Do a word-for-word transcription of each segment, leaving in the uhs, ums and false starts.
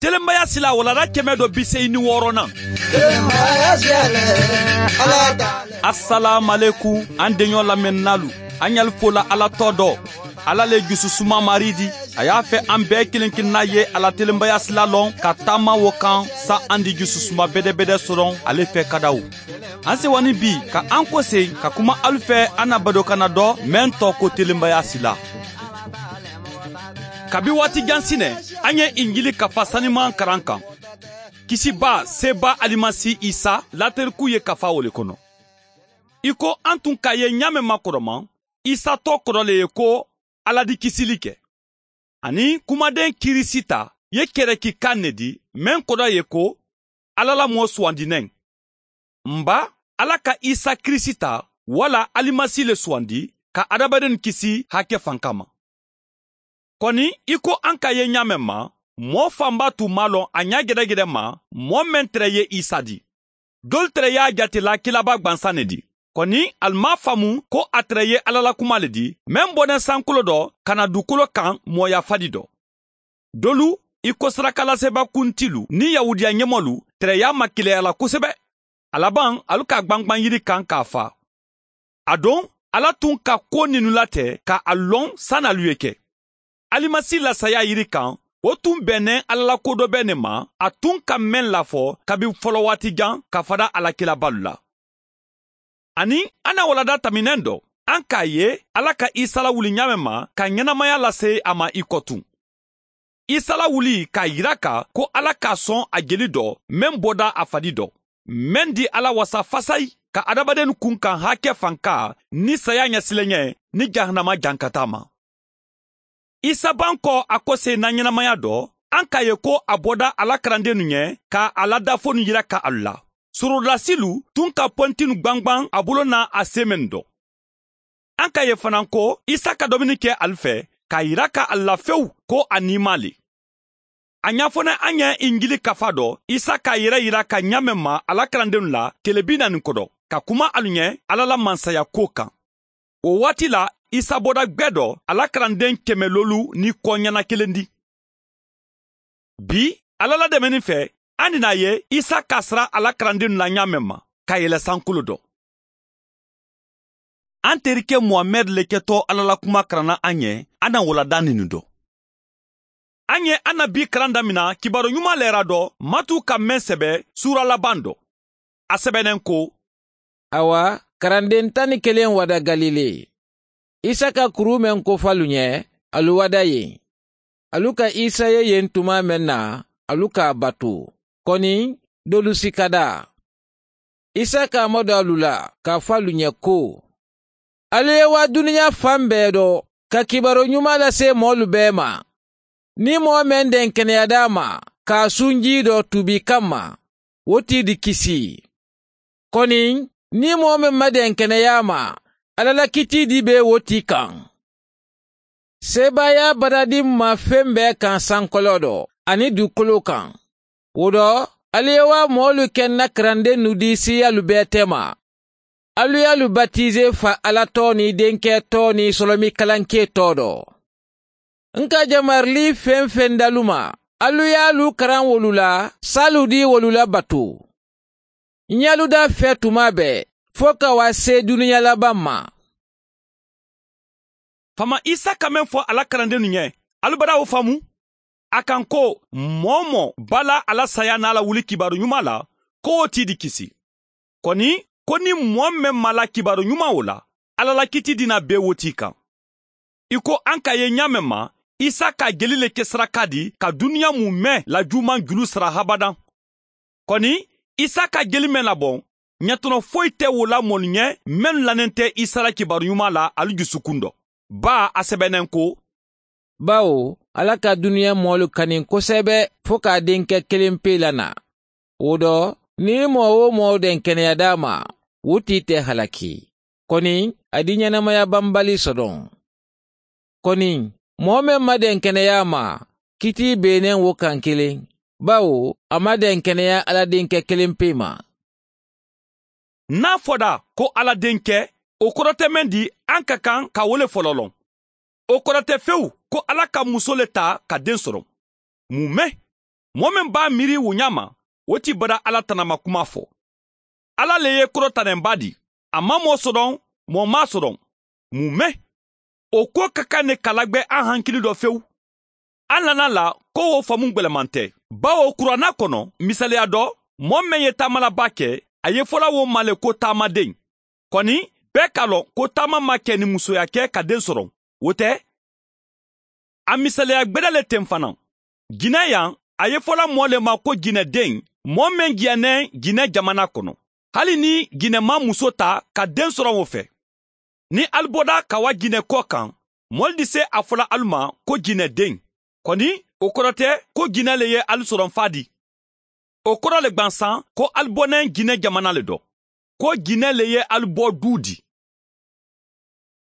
Telenbaya sila walanda kɛmɛ dɔ bi seyi ni wɔɔrɔnan. Asalaamualeykum, an deɲɔ lamɛnninaalu, an ɲali fola Ala tɔ dɔ. Ala le jususuma Marii di. A y'a fɛ an bɛɛ kelen kelenna ye a la telenbaya sila lɔn ka taama wo kan, sa an di jususuma bedebede sɔrɔ ale fɛ kadaw. An sewa ni bi ka an kose ka kuma alu fɛ, an na badokanna dɔ mɛn tɔ ko telenbaya sila. Kabi waati jan sinɛ, an ye injili kafa saniman karan kan. Kisiba seba alimasi isa lateriku ye kafa wo le kono. I ko an tun k'a ye ɲaamen ma kɔrɔma, isa tɔ kɔrɔ le ye ko ala di kisili kɛ. Ani kumaden kirisita ye kɛrɛki kan ne di, mɛn kɔrɔ ye ko ala la mɔɔ suwandinɛn. N ba, ala ka isa kirisita wala alimasi le suwandi ka adamadenw kisi hakɛ fanka ma. Kɔni, i ko an ka ye ɲaamen ma, mɔɔ fanba tun m'a lɔn a ɲa gɛdɛgɛdɛ ma mɔɔ mɛn tere ye isa di. Dolu tere y'a jate la kilaba gwansan ne di. Kɔni, ali m'a faamu ko a tere ye ala la kuma le di, mɛn bɔnɛ sankolo dɔ ka na dukolo kan mɔɔya fadi dɔ. Dolu, i ko sarakalasebaa kuntilu ni yahudiya ɲɛmɔlu, tere y'a makeleyala kosɛbɛ. A laban, alu k'a gbangban yiri kan k'a fa. A don, ala tun ka ko ninnu latɛ ka a lɔn sani alu ye kɛ. Alimasi la saya yiri kan, wo tun bɛnnen ala la ko dɔ bɛ ne ma, a tun ka mɛn lafɔ kabi fɔlɔ waati jan ka fada ala kilabalu la. Ani an na walanda taminɛn dɔ, an k'a ye ala ka isa lawuli ɲaamen ma ka ɲɛnamaya lase a ma i kɔ tun. Isa lawuli k'a yira ka ko ala k'a sɔn a jeli dɔ, mɛn bɔda a fadi dɔ, mɛn di ala wasa fasayi ka adamadenw kun kan hakɛ fanka ni saya ɲɛsileɲɛ ni jahanama jankata ma. Isa ban kɔ a kose na ɲɛnamaya dɔ, an k'a ye ko a bɔda ala karandennu ɲɛ ka a la dafonu yira ka alu la. Sorodasilu tun ka pɔntinu gbangban a bolo na a semɛnu dɔ. An k'a ye fanaŋ ko isa ka domini ke alu fɛ k'a yira ka alu la fewu ko a niimaa le. A ɲafɔnɛ an ye injili kafa dɔ, isa k'a yɛrɛ yira ka ɲaamen ma ala karandennu la tile bi naani kɔdɔ ka kuma alu ɲɛ ala la mansaya ko kan. Wo waati la, isa bɔda gbɛ dɔ a la karanden kɛmɛ loolu ni kɔ ɲana kelen di. Bi, ala la dɛmɛni fɛ, an dina a ye isa k'a sara a la karandennu la ɲaamen ma ka yɛlɛ sankolo dɔ. An terikɛ muhamɛdi le kɛtɔ ala la kuma karanna an ye, an na walanda ninnu dɔ. An ye an na bi karan damina kibaru ɲuman lɛra dɔ matu ka mɛn sɛbɛ suura laban dɔ. A sɛbɛnnen ko, awa, karanden tan ni kelen wada galile. Isa ka kuru meŋ kofalu ɲɛ, alu wada yen. Alu ka isa ye yen tuma meŋ na, alu k'a batu. Kɔni, dolu si ka da. Isa k'a mado alu la k'a fo alu ɲɛ ko, alu ye waa duniɲa fan bɛɛ dɔ ka kibaru ɲuman lase moolu bɛɛ ma. Niŋ moo meŋ denkeneya daa ma ka a sunjii dɔ tuubi kamma, wo tii di kisi. Koni, niŋ moo meŋ ma denkeneya a ma, alla la kitii di be wo tii kaŋ. Seebaayaa baradi mu ma feŋ bee kaŋ sankoloo do aniŋ duukoloo kaŋ. Wo do, ali ye waa moolu ke n na karandennu di siiyaalu bee teema. Alu ye alu batize fa alla too niŋ denkee too niŋ solomikalankee too do. N ka jamarili feŋ-feŋ dalu ma, alu ye alu karaŋ wolu la saalu di wolu la batu. N ye alu daa fee tumaa bee fo ka waa see duniya labaŋ ma. Faama isa ka meŋ fo a la karandennu ye, alu bada wo faamu? A kaŋ ko, moo-wo-moo be a la a la saya niŋ a la wuli kibaaru ɲumaa la, ko wo tii di kisi. Koni, ko niŋ moo meŋ maŋ a la kibaaru ɲumaa wo la, alla la kitii di naa bee wo tii kaŋ. I ko a ka a ye ɲaa meŋ ma, isa ka a jeli le ke sarakaa di ka duniya muume la juumaŋ julu sara habadaŋ. Koni, isa ka a jeli meŋ laboŋ, ɲatono foyi te wo la moolu ɲe mennu lanente isa la kibaaru ɲumaa la ali jusukuŋ do. Baa a sebeneŋ ko, bawo alla ka duniya moolu kani kosebe fo ka a denke kiliŋ pee la naa. Wo do, niŋ moo-wo-moo denkeneya daa ma, wo tii te halaki. Koni, a di ɲenamaya bambali sodoŋ. Koni, moo meŋ ma denkeneya a ma, kitii be i neŋ wo kaŋ kiliŋ, bawo a ma denkeneya alla dinke kiliŋ pee ma. Niŋ a foda ko alla dinke, wo koro te meŋ di a ka kaŋ ka wo le fololoŋ. Wo koro te fewu ko alla ka musoo le taa ka deŋ soroŋ. Muume. Moo meŋ be a miiri wo ñaama, wo ti bada alla tanama kumaa fo. Alla le ye korotanenbaa dii. A maŋ moo sodoŋ, moo maŋ a sodoŋ. Muŋ meŋ? Wo kuwo ka kaŋ ne ka lagbe a hankili do fewu. A nana la ko wo famu gbelemanteŋ. Bawo kuraana kono, misaliya do, moo meŋ ye taamalabaa ke, a yefola wo ma le ko taamadeŋ. Koni, bee ka loŋ ko taama maŋ ke ni musoya ke ka deŋ soroŋ. Wo te? A misaliya gbeda le teŋ fanaŋ. Jinee yaŋ, a yefola moo le ma ko jinedeŋ, moo meŋ jiyaneŋ jinee jamana kono. Hali niŋ jinee maŋ muso taa ka deŋ soroŋ wo fe. Niŋ ali boda ka wa jinee koo kaŋ, moolu di se a fola ali ma ko jinedeŋ. Koni, wo koro te ko jinee le ye ali soroŋ faa dii. Wo koro le gbansaŋ ko ali boneŋ jinee jamana le do, ko jinee le ye ali boo duu dii.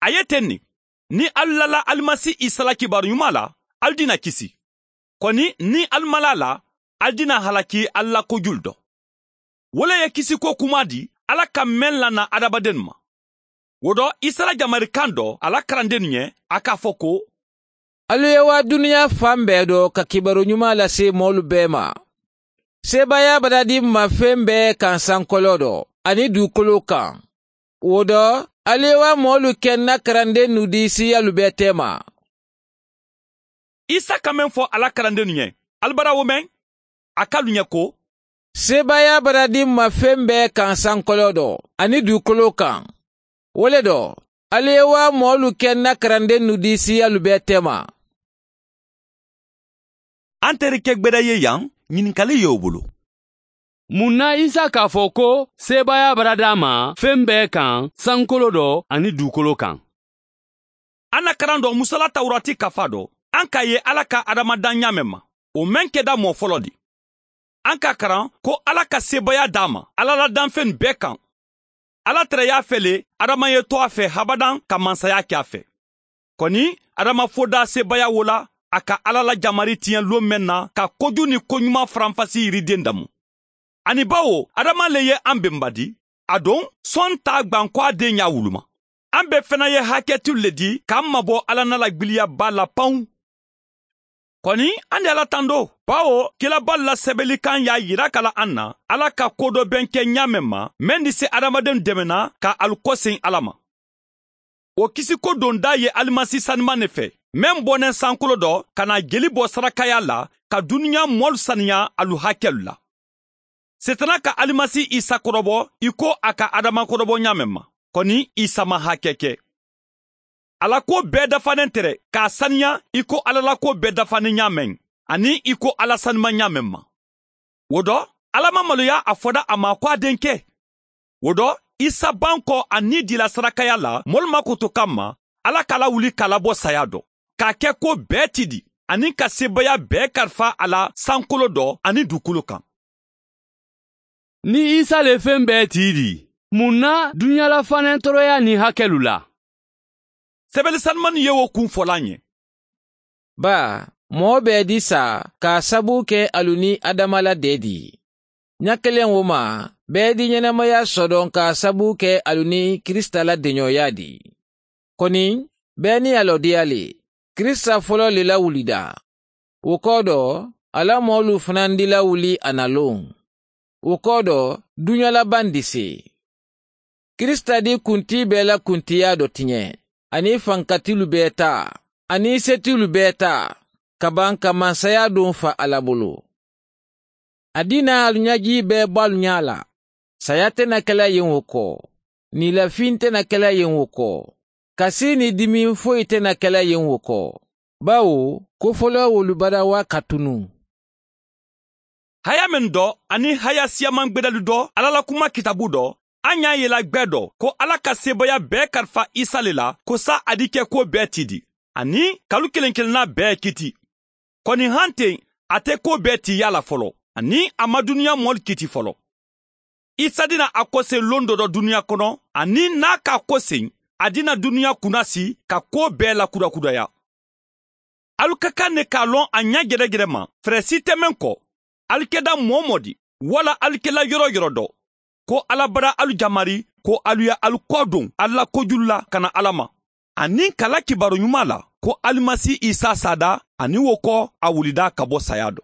A ye teŋ ne, niŋ ali laa la alimasi isa la kibaaru ñumaa la, ali dina kisi. Koni, niŋ ali maŋ laa a la, ali dina halaki ali la kojulu do. Wo le ye kisiko kumaa dii alla ka meŋ lana adamadennu ma. Wo do, isa la jamari kaŋ do a la karandennu ñe, a ka a fo ko, ali ye waa duniyaa faŋ bee do ka kibaaru ñumaa lase moolu bee ma. Seebaayaa baradiŋ ma feŋ bee kaŋ sankoloo do aniŋ duukoloo kaŋ. Wo do, ali ye waa moolu ke n na karandennu dii siiyaalu bee teema. Isa ka meŋ fo a la karandennu ñe, ali bara wo meŋ? A ka alu ñe ko, seebaayaa baradiŋ ma feŋ bee kaŋ sankoloo do aniŋ duukoloo kaŋ. Wo le do, ali ye waa moolu ke n na karandennu dii siiyaalu bee teema. Anterike gbeda ye yaŋ, ñininkali ye wo bulu. Muŋ na isa ka a fo ko seebaayaa bara daa ma feŋ bee kaŋ sankoloo do aniŋ duukoloo kaŋ? A na karaŋ do musa la tawurati kafaa do, aŋ ka a ye alla ka adama daŋ ñaameŋ ma, wo meŋ keda moo foloo di. Aŋ ka a karaŋ ko alla ka seebaayaa daa ma alla la danfeŋ bee kaŋ. Alla tarayaa fele adama ye to a fe habadaŋ ka mansayaa ke a fe. Koni, adama fo daa seebaayaa wo la a ka alla la jamari tiña loo meŋ na ka koju ni koñumaa faranfasi yirideŋ damu. Aniŋ bawo adama le ye aŋ bemba di, a doŋ, soŋ taa gbaŋ ko a deŋ ñaa wuluma. Aŋ be fena ye haketilu le di ka aŋ mabo alla na la gbiliya baa la paŋ. Koni, aŋ de alla tandoo, bawo kilabaalu la sebelikaŋ ye a yira ka la aŋ na alla ka ko do beŋ ke ñaameŋ ma meŋ di si adamadennu demena ka alu koseŋ alla ma. Wo kisiko dondaa ye alimasi sanimaŋ ne fe, meŋ boneŋ sankoloo do ka naa jeli bo sarakayaa la ka duniyaa moolu saniyaa alu hakelu la. Seetana ka alimasi isa korobo i ko a ka adama korobo ñaameŋ ma, koni isa maŋ hake ke. A la kuwo bee dafaneŋ tere ka a saniyaa i ko alla la kuwo bee dafaneŋ ñaameŋ, aniŋ i ko alla sanimaŋ ñaameŋ ma. Wo do, alla maŋ maloya a foda a ma ko a deŋ ke. Wo do, isa banko a niidila sarakaya la moolu ma koto kamma, alla ka a lawuli ka a labo saya do, ka a ke ko bee ti di, aniŋ ka seebeya bee karifa a la sankolo do aniŋ dukulu kaŋ. Niŋ isa le feŋ bee ti di, muŋ na duniyaa la fanentoroya niŋ hakelu la? Sebele sanumanu ye wo kuŋ fola a ɲe. Baa, moo bee di saa ka a sabu ke alu niŋ adama la dee di. Ña keleŋ wo ma, bee di ñenamaya sodoŋ ka a sabu ke alu niŋ kirisita la deñooyaa di. Koni, bee niŋ a lo diya le, kirisita foloo le la wulida. Wo koo do, a la moolu fanandi la wuli a na loŋ. Wo koo do, duña la bandise. Kirisita di kuntii bee la kuntiyaa do tiñe, aniŋ fankatilu bee taa, aniŋ setilu bee taa, ka baŋ ka mansayaa duŋ fa a la bulu. A dina alu ñajii bee bo alu ñaa la. Saya te na ke la yeŋ wo koo, niila fiŋ te na ke la yeŋ wo koo, kasii niŋ dimiŋ foyi te na ke la yeŋ wo koo, bawo ko foloo wolu barawa ka tunu. Haya mennu do aniŋ haya siyamaŋ gbedalu do alla la kuma kitabu do, a ñaa yela gbee do ko alla ka seebeya bee karifa isa le la ko saa a di ke kuwo bee ti di, aniŋ kalu keleŋ keleŋ naa bee kiti. Koni hanteŋ, a te kuwo bee ti yaa la foloo, aniŋ a maŋ duniyaa moolu kiti foloo. Isa dina a koseŋ loŋ dodo duniyaa kono, aniŋ niŋ a ka a koseŋ, a dina duniyaa kunasi ka kuwo bee lakudakudaya. Alu ka kaŋ ne ka a loŋ a ña jerejerema, fere si te meŋ ko, alu keda moo-wo-moo di, walla alu kela yoro-wo-yoro do, ko alla bara alu jamari ko alu ye alu kooduŋ alu la kojulu la ka na alla ma, aniŋ ka la kibaaru ñumaa la ko alimasi isa saada, aniŋ wo ko a wulida ka bo sayaa do.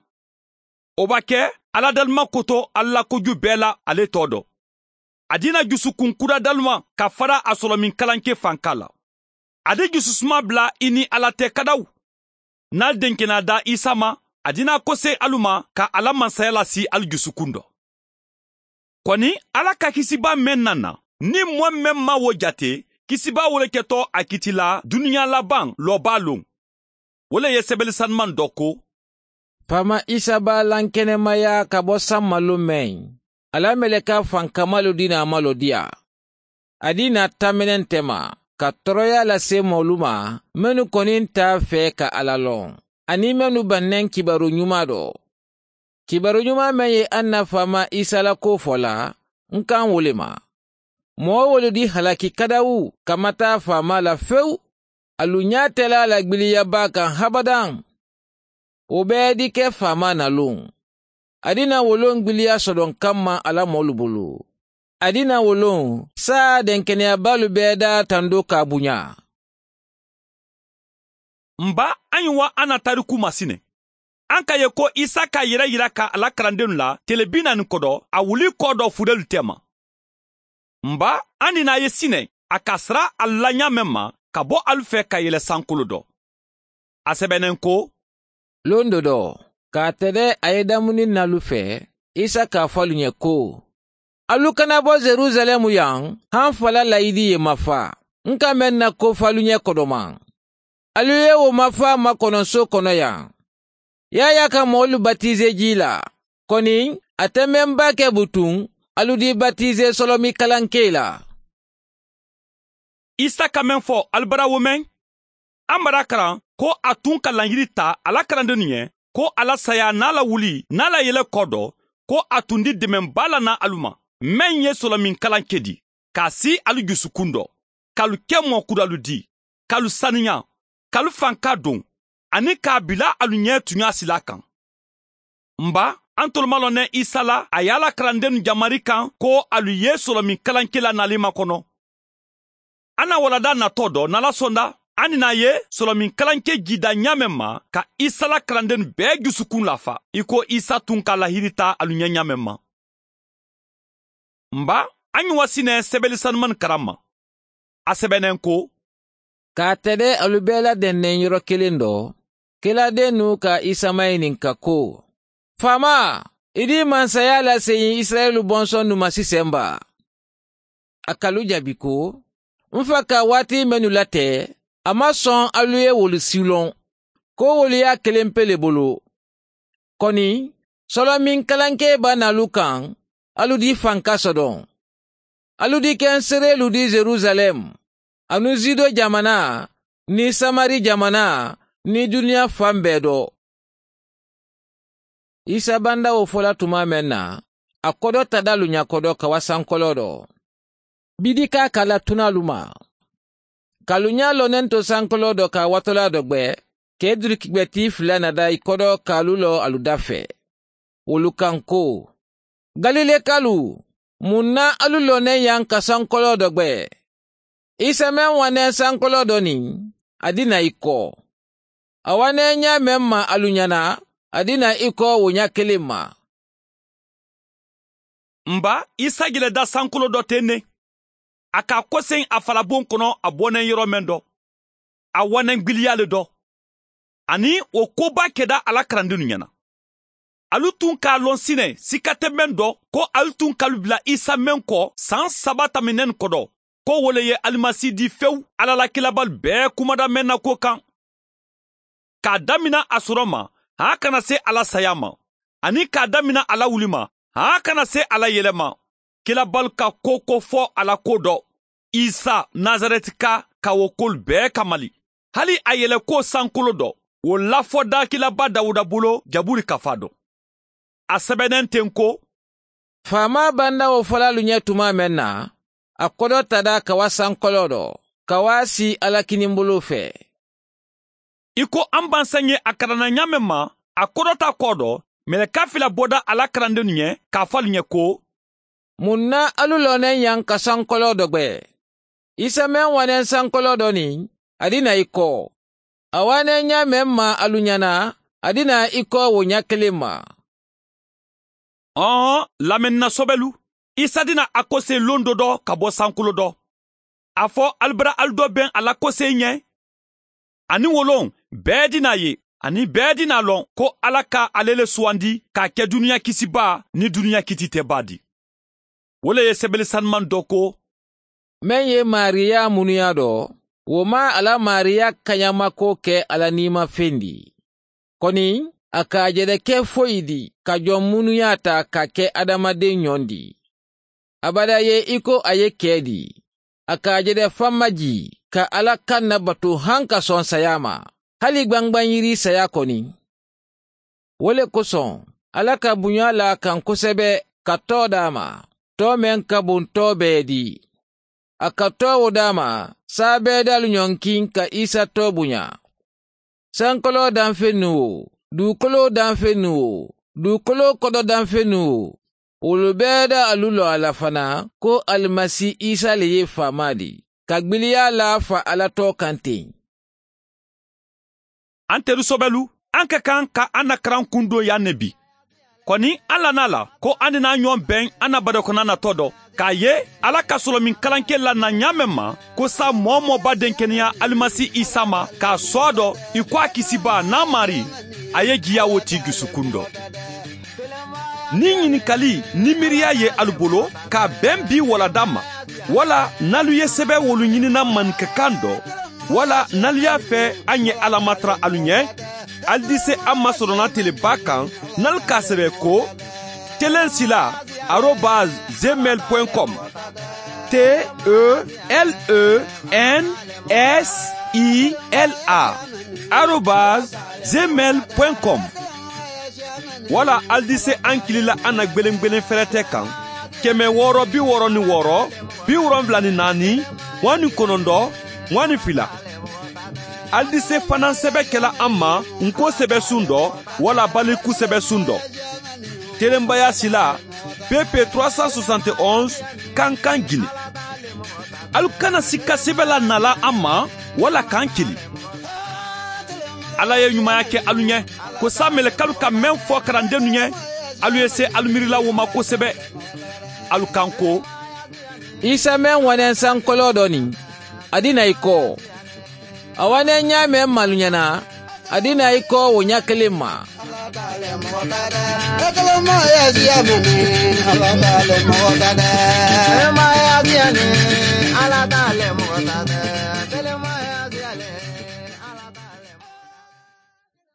Wo b'a ke aladalima koto ali la koju bee la ale to do. A dina jusukun kudadalima ka fara a solomin kalankee fanka la. A di jususuma bula i ni ala te kadaw. Niŋ ali denkenaa da isa ma, a dina koseyi alu ma ka a la mansaya la si ali jusukun do. Koni, ala ka kisibaa meŋ naŋ na, niŋ moo meŋ maŋ wo jate, kisibaa wo le keto a kiti la duniyaa labaŋ loobaa loŋ. Wo le ye sebeli sanumaŋ do ko, faama isa baa lankenemaya ka bo sammalu meŋ, a la meleka fankamaalu dina malo diya. A dina tamene nte ma ka toroyaa lase moolu ma, mennu koni nte a fee ka ala loŋ, aniŋ mennu baŋ neŋ kibaaru ñumaa do. Kibaaru ñumaa meŋ ye a nna faama isa la koo fo la, n kaŋ wo le ma. Moo wolu di halaki kadawu kamata faama la fewu. Alu ñaatela la gbiliya baa kaŋ habadaŋ. Wo bee di ke faama na luŋ. A dina wo loŋ gbiliya sodoŋ kamma a la moolu bulu. A dina wo loŋ saa denkeneya baalu bee daa tando ka a buña. Mba, a ñiŋ wa a na tariku masine. An ka ye ko isa ka a yere yira ka a la karandennu la tele bi naani kodo a wuli koo do fudelu tema. Mba, an ni naa ye sine a ka sara alu la ñaameŋ ma ka bo alu fee ka yele sankolo do. A sebenen ko, londo do ka a tede a ye damuni naalu fee, isa ka a fo alu ñe ko, alu kana bo yerusaleemu yaŋ, haŋ fala layidi ye mafa n ka meŋ na ko fo alu ñe kodomaŋ. Alu ye wo mafa makononso kono yaŋ. Yaayaa ka moolu batize jii la. Koni, a te meŋ baa ke butuŋ, alu di batize solomi kalankee la. Isa ka meŋ fo, ali bara wo meŋ? A mara karaŋ ko a tun ka lañiri ta a la karandennu ye, ko a la saya niŋ a la wuli niŋ a la yele koo do, ko a tun di demen baa la na alu ma, meŋ ye solomin kalanke di, ka a si alu jusukun do, ka alu ke moo kudalu di, ka alu saniya, ka alu fanka doŋ, aniŋ ka a bila alu ñee tuñaa silaa kaŋ. Mba, antolu maŋ loŋ ne isa la a ye a la karandennu jamari kaŋ ko alu ye solomin kalankela nalima kono. A na waladaa natoo do nala sonda, a ni naa ye solomin kalanke jiida ñaameŋ ma ka isa la karandennu bee jusukun lafa i ko isa tun ka a lahirita alu ñee ñaameŋ ma. Mba, a ñiŋ wa si ne sebeli sanumannu karamma. A sebenen ko, ka a tede alu bee la dendeŋ yoro kiliŋ do, kiladeennu ka isa mayininka ko, faama, i di mansayaa la seyiŋ isirayila bonsonnu ma si semba? A ka alu jaabi ko, n fa ka waati mennu late, a maŋ soŋ alu ye wolu si loŋ, ko wolu ye a kelempe le bulu. Koni, solomin kalankee ba naalu kaŋ, alu di fanka sodoŋ. Alu di ke n sereelu di yerusaleemu, aniŋ zido jamanaa, niŋ samari jamanaa, niŋ duniyaa fan bee do. Isa banda wo fo la tuma meŋ na, a kodo tada alu ña kodo ka wa sankoloo do. Bidika ka la tunaalu ma, ka alu ña lonento sankoloo do ka a watolaa do gbe, ka i duliki gbe tii fula nada i kodo ka alu lo alu da fee. Wolu kaŋ ko, galilekalu, muŋ na alu lo neŋ yaŋ ka sankoloo do gbe? Isa meŋ wa neŋ sankoloo do niŋ, a dina i ko, a wa neŋ ñaameŋ ma alu ñana, a dina i ko wo ña kiliŋ ma. Mba, isa jele da sankoloo do teŋ ne. A ka a koseŋ a falaboŋ kono a boneŋ yoro meŋ do, a waneŋ gbiliyaa le do. Aniŋ wo kobaa keda a la karandiŋolu ñana. Alu tun ka a loŋ sine sikate meŋ do, ko alu tun ka alu bila isa meŋ ko saŋ saba taminenu kodo, ko wo le ye alimasi di fewu alla la kilabaalu bee kumada meŋ na ko kaŋ. K'a damina a soro ma, haa kana se a la saya ma, aniŋ k'a damina a la wuli ma, haa kana se a la yele ma. Kilabaalu ka ko ko fo a la ko do, isa, nasaretika, ka wo kolu bee kamali. Hali a yeleko sankolo do, wo lafodaa kilabaa dawuda bulu jaburi ka faa do. A sebenente n ko, faamaa banda wo fo la alu ñe tumaa meŋ na, a kodo tada ka wa sankoloo do, ka wa a sii alla kinimbuluu fee. I ko a mbansaŋ ye a karanna ñaameŋ ma, a kodota koo do, meleka fila boda a la karandennu ñe, ka a fo alu ñe ko, muŋ na alu looneŋ yaŋ ka sankoloo do gbe? Isa meŋ wa neŋ sankoloo do niŋ, a dina i ko, a wa neŋ ñaameŋ ma alu ñana, a dina i ko wo ña kiliŋ ma. Ɔn, lamɛnni na sobelu. Isa dina a kosee lon do dɔ ka bo sankolo dɔ. A fo ali bara ali do ben a la kosee ɲɛ. Aniŋ wo loŋ, bee dina ye, aniŋ bee dina loŋ ko ala ka ale le suwandi ka a ke duniya kisibaa niŋ duniya kititebaa di. Wo le ye sebeli sanimaŋ do ko, meŋ ye maariyaa munuyaa do, wo maŋ a la maariyaa kañamako ke a la niimafeŋ di. Koni a ka a je de ke foyi di ka joŋ munuyaa taa ka ke adamadeŋ ɲoŋ di. Abada ye i ko a ye kee di. A ka a je de famma jii ka ala kaŋ na batu haŋ ka soŋ sayaa ma, hali gbangbaŋ yiri sayaa koni. Wo le kosoŋ ala ka buñaa laa kaŋ kosebe ka too daa ma, too meŋ ka buŋ too bee di. A ka too wo daa ma, saa bee daalu ɲoŋ kiŋ ka isa too buñaa. Sankoloo danfennu wo, duukoloo danfennu wo, duukoloo kodo danfennu wo, wolu bee daalu loŋ a la fanaa ko alimasi isa le ye faamaa di ka gbiliyaa laa fa ala too kaŋ teŋ. An teru sobelu, an ka kaŋ ka an na karaŋ kundoo yaŋ ne bi. Koni an la naa la ko an ni naa ɲoŋ beŋ an na badokonaŋ na too do, ka a ye ala ka solomiŋ kalankee la na ɲaameŋ ma, ko saa moo-wo-moo ba denkeneyaa alimasi isa ma ka a soo a do, i ko a kisibaa niŋ a maarii, a ye jiyaa wo tii jusukundo. Niŋ ɲininkali niŋ miiriyaa ye alu bulu ka a beŋ bii walla damma, walla niŋ alu ye sebe wolu ɲini naŋ maninka kaŋ do, walla niŋ alu ye a fee a ŋ ye alamatara alu ɲe. Ali di se a ma soronaa tele baa kaŋ niŋ alu ka a sebe ko, telensilaa arobaasi gmail point com. T e l e n s i l a arobaasi gmail point com. Walla ali di se a ŋ kili la a na gbeleŋ gbeleŋ ferete kaŋ, keme wooro bi wooro niŋ wooro, bi woronwula niŋ naani, muwaŋ niŋ kononto, muwaŋ niŋ fila. Ali di se fanaa sebe ke la a ma, ǹ ko sebe suŋ do, walla baliku sebe suŋ do. Telembayaa silaa, p p trois cent soixante onze, kankan gine. Alu kana sikka sebe la nalaa a ma, walla kaŋ kili. Alla ye ɲumaayaa ke alu ɲe, ko saa melekalu ka meŋ fo karandennu ɲe, alu ye see alu miiri la wo ma kosebe. Alu kaŋ ko, isa meŋ waneŋ sankoloo do niŋ, a dina i koo. A waneŋ ɲaameŋ maalu ɲana, a dina i koo wo ɲaa kiliŋ ma.